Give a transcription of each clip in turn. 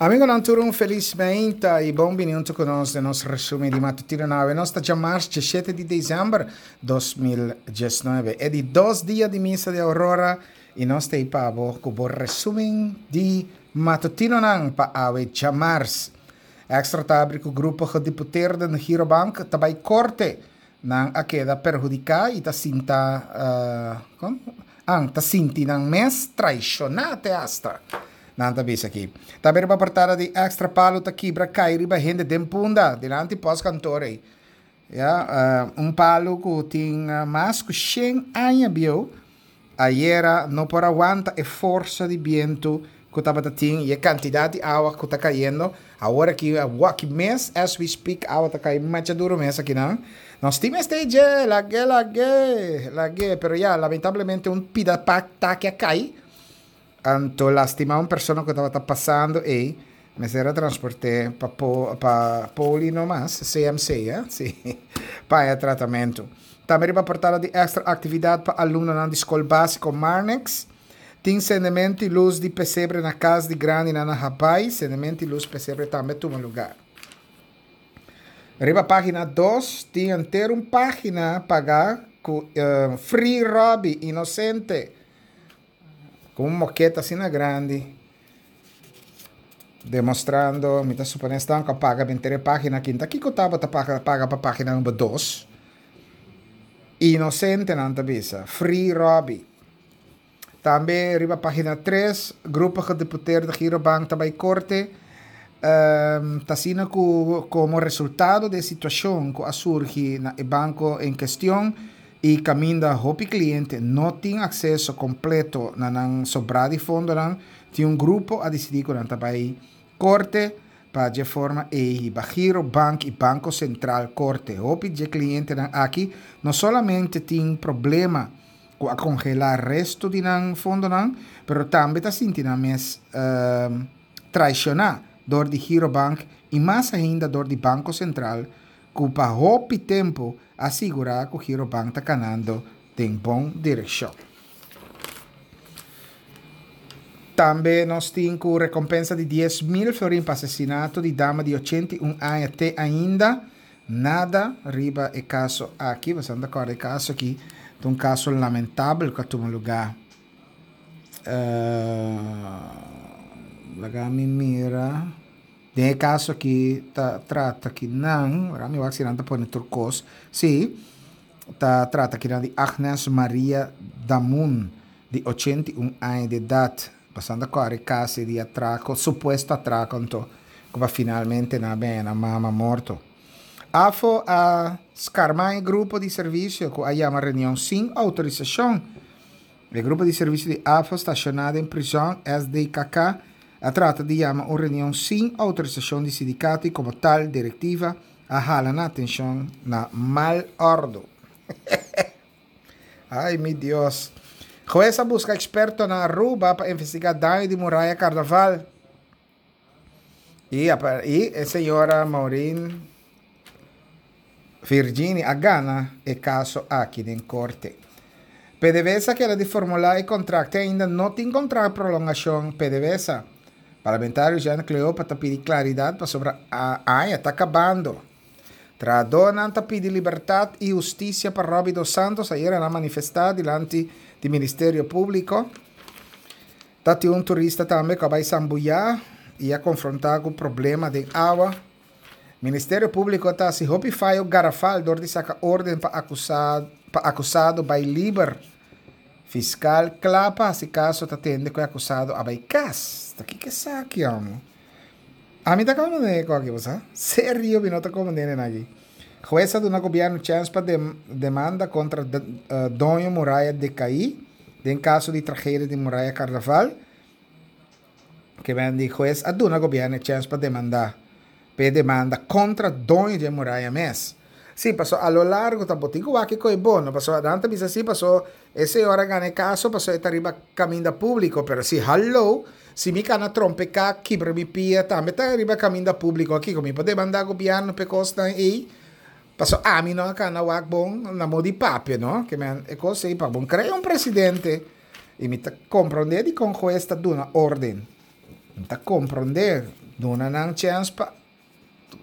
Amigonan tur un felis meinta y bon bini hunto cu nos den nos resumen di matutino na awe. Nos ta djamars djeshete di december 2019, e di dos dia di misa di Aurora y nos ta ei pa bo cu bo resumen di matutinonan pa awe djamars. Extra ta abri cu grupo gediputeerden Girobank ta bay corte. Nan a keda perhudica y ta sinta, con? An ta sinti nan mes traiciona te hasta. Nan ta bisa aki. Tambe riba portada di Extra palu ta kibra cay riba hende den Punda, dilanti postkantoor ey. Ya, un palu cu tin mas cu shen aña bieu, ayera no por a wanta e forsa di bientu cu tabata tin y e cantidad di awa cu ta cayendo. Awor aki, awoki mes, as we speak, awa ta cay macha duro mes akinan. Nos tin mester dje, lag'é, lag'é, lag'é. Pero ya, lamentablemente un pida taki a cay. Anto lastima un persona cu tabata pasando ey, mester a transport'é pa pa poli no mas, CMC, eh, si, pa haña tratamento. Tambe riba portada di extra actividad pa alumnonan di Scol Basico Marnix. Tin sendemento y luz di pesebre na cas di grandinan na Habay, sendemento y luz pesebre tambe tuma lugar. Riba pagina dos tin henter un pagina paga cu Free Robbie, inocente. Ku un moketa asina grandi demostrando, mi ta supone esnan ku a paga binter e pagina aki, ta kiko tabata paga pa pagina number dos? Inosente nan ta bisa, Free Robbie. Tambe riba pagina tres, Grupo Gedeputeerde Girobank ta bai korte. Ta asina ku komo resultado di e situashon ku a surgi na e banko en kestion, i kaminda hopi kliente no tin akseso kompleto na nan sobrá di fondonan, tin un grupo a disidí ku nan ta bai korte pa dje forma ei hiba Giro Bank i Banko Sentral korte. Hopi dje klientenan aki no solamente tin problema ku a kongelá resto di nan fondonan, pero tambe ta sinti nan mes traishoná dor di Giro Bank i mas ainda dor di Banko Sentral ku pa hopi tempu a sigurá ku Girobank ta kanando den bon direkshon. Tambe nos tin ku rekompensa di 10,000 florin pa asesinato di dama di 81 aña te ainda nada riba e kaso aki. Boso ta kòrda e kaso aki ta un kaso lamentabel ku a tuma lugá. Laga mi mira. Den e kaso aki ta trata ki nan, wak mi wak si nan ta pone tur kos, si, ta trata kinan di Agnes Maria Damun di 81 aña di edat, pasando a kòre kasi di atrako, supuesto atrako anto, ku pa finalmente nan a bini nan mama morto. Afo a skarmá e grupo di servisio ku a yama reunion sin outorisashon. E grupo di servisio di AFO stashoná den prizòn, SDKK, a trata di yama un reunion sin outorisashon di sindikato i komo tal direktiva a hala nan atenshon na mal òrdu. Ai mi Dios. Hues a buska eksperto na Aruba pa investigá daño di muraya Karnaval. I i e señora Maureen Virginie a gana e kaso aki den korte. PDVSA keda di formulá e kontrakt te ainda no tin kontrakt prolongashon PDVSA. Parlamentario Jean Cleopa ta pidi klaridat pasobra aña ta kabando. Trahadónan ta pidi libertat i hustisia pa Robbie dos Santos ayera nan manifestá dilanti di Ministerio Públiko. Ta tin un turista tambe ku a bai sambuyá i a konfrontá ku problema den awa. Ministerio Públiko ta hasi hopi fayo garafal dor di saka órden pa pa akusado bai liber. Fiskal kla pa hasi kaso ta tende ku e akusado a bai kas. Ta kiko esaki amo? Ami ta komprendé e koki bo sa. Serio mi no ta komprendé nan aki. Hues a duna gobièrnu chèns pa demanda kontra doño muraya dekaí den kaso di tragedia di muraya Karnaval. Ke men di hues a duna gobièrnu e chèns pa demandá p'e demanda kontra doño di e muraya mes. Sí, paso a lo largo ta bo tin ku wak kiko e bo no, paso nan ta bisa sí paso e señor a gana e kaso paso e ta riba kaminda públiko, pero si hallo, si mi kana trompeká kibra mi pia tambe ta riba kaminda públiko, kiko mi por demandá gobièrnu p'e kosnan ei? Paso ami no a kana wak bon na modo di papia no, ke men e kos ei pa bon krea un presidente i mi ta komprondé dikon hues ta duna órden. Mi ta komprondé. Duna nan chèns pa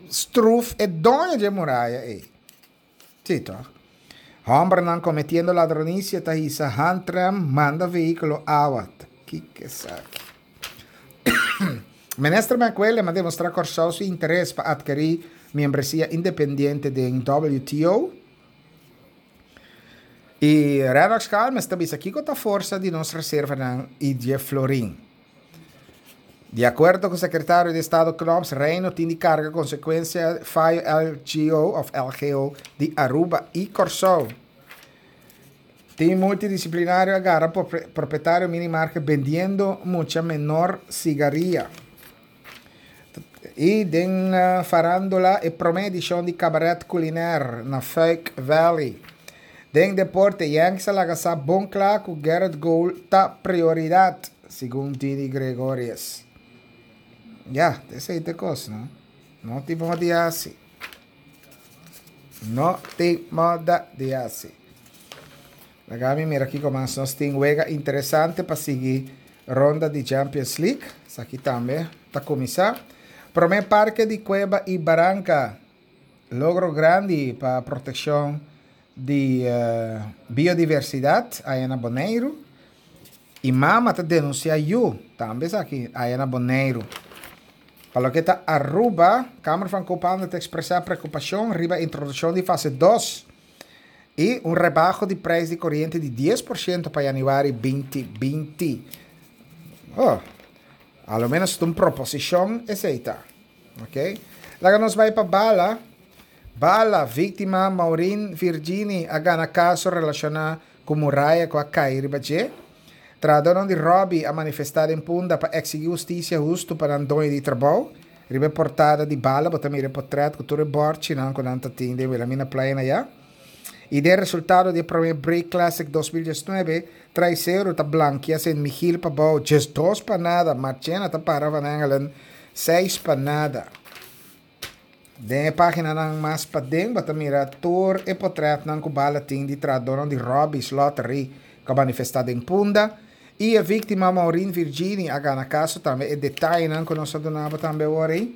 struf e doño dje muraya ei. Sí, toch? Hòmbernan kometiendo ladronisia ta hisa handrem manda vehíkulo awa. Ta kiko esaki? Minister McWilliam a demostrá Kòrsou su interes pa atkerí miembresia independiente den WTO. I Rennox Calmes ta bisa kiko ta forsa di nos reservanan i dje florin. Di akuerdo ku sekretario di Estado Knops, Reino tin di karga konsekuensia fayo LGO òf LGO di Aruba i Kòrsou. Team multidisiplinario a gara propietario minimarket bendiendo mucha menor sigaria. I den farándula e promé edishon di Cabaret Culinair na Fuik Valley. Den deporte Yankees a laga sa bon kla ku Gerrit Cole ta prioridat, segun Didi Gregorius. Ya, esei ta e kos, no? No tin moda di hasi. No tin moda di hasi. Laga mi mira kiko mas nos tin. Wega interesante pa sigui ronda di Champions League. Esaki tambe ta kuminsá. Promé parke di Kueba i Baranka. Logro grandi pa protekshon di biodiversidat aya na Boneiru. I mama ta denunsiá yu, tambe esaki aya na Boneiru. Pa loke ta Aruba, Kamer van Koophandel ta ekspresá preokupashon riba introdukshon di fase dos i un rebaho di preis di koriente di 10% pa yanüari 2020. Oh, a lo menos ta un proposishon esei ta. Ok. Laga nos bai pa bala. Bala, víktima Maureen Virgini a gana kaso relashoná ku muraya ku a kai riba dje. Trahadónan di Robbie a manifestá den Punda pa eksigí hustisia hustu pa nan doño di trabou. Riba e portada di Bala bo ta mira e potrèt ku tur e bòrchinan ku nan ta tin den Wilhelminaplein ayá. I den resultado di e promé Break Classic 2019, Traiceru ta blankia Sint Michiel pabou 12-0, Marchena ta para Van Engelen 6-0. Den e páginanan mas paden bo ta mira tur e potrètnan ku bala tin di trahadónan di Robbie's Lottery ku a manifestá den Punda i e víktima Maureen Virgini a gana kaso tambe e detayenan ku nos a duna bo tambe awor ei.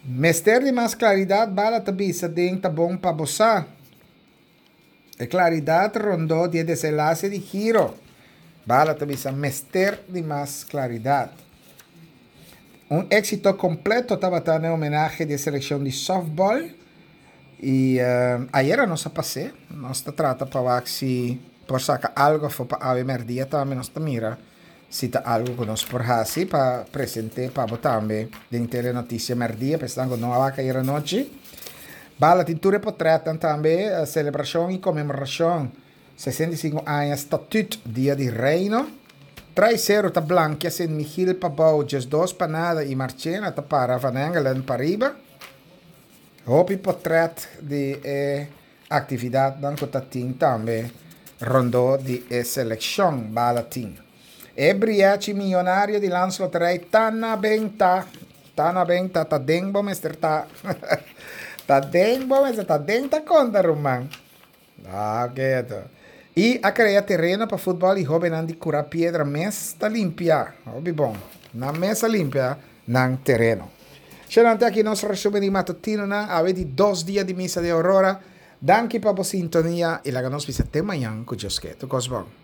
Mester di mas klaridat bala ta bisa den ta bon pa bo sa. E klaridat rondó di e desenlase di Giro. Bala ta bisa mester di mas klaridat. Un éksito kompleto tabata na e homenahe di e selekshon di sòftbòl i ayera nos a pas'é. Nos ta trata pa wak si por saka algu afó pa awe mèrdia tambe nos ta mira si ta algu ku nos por hasi pa present'é pa bo tambe den Telenotisia Mèrdia pa esnan ku no a wak ayera nochi. Bala tin tur e potrètnan tambe, selebrashon i konmemorashon 65 aña Statüt Dia di Reino. Traiseru ta blankia Sint Michiel pabou 12-0 i Marchena ta para Van Engelen pariba. Hopi potrèt di e Aktividatnan ku ta tin tambe rondó di e selekshon bala tin. E brièchi miyonario di Landsloterij ta na benta! Ta na benta, ta den bo mester ta. Ta den bo mester ta, den ta konta ruman. Ah, keto. I a krea tereno pa futbòl i hóbennan di Kura Piedra mes ta limpia. Hopi bon. Nan mes a limpia nan tereno. Shenante aki nos resumen di matutinonan awe di dos dia di misa di Aurora. Danki pa bo sintonia y laga nos bisa te mañan cu Dios ke. Tur cos bon.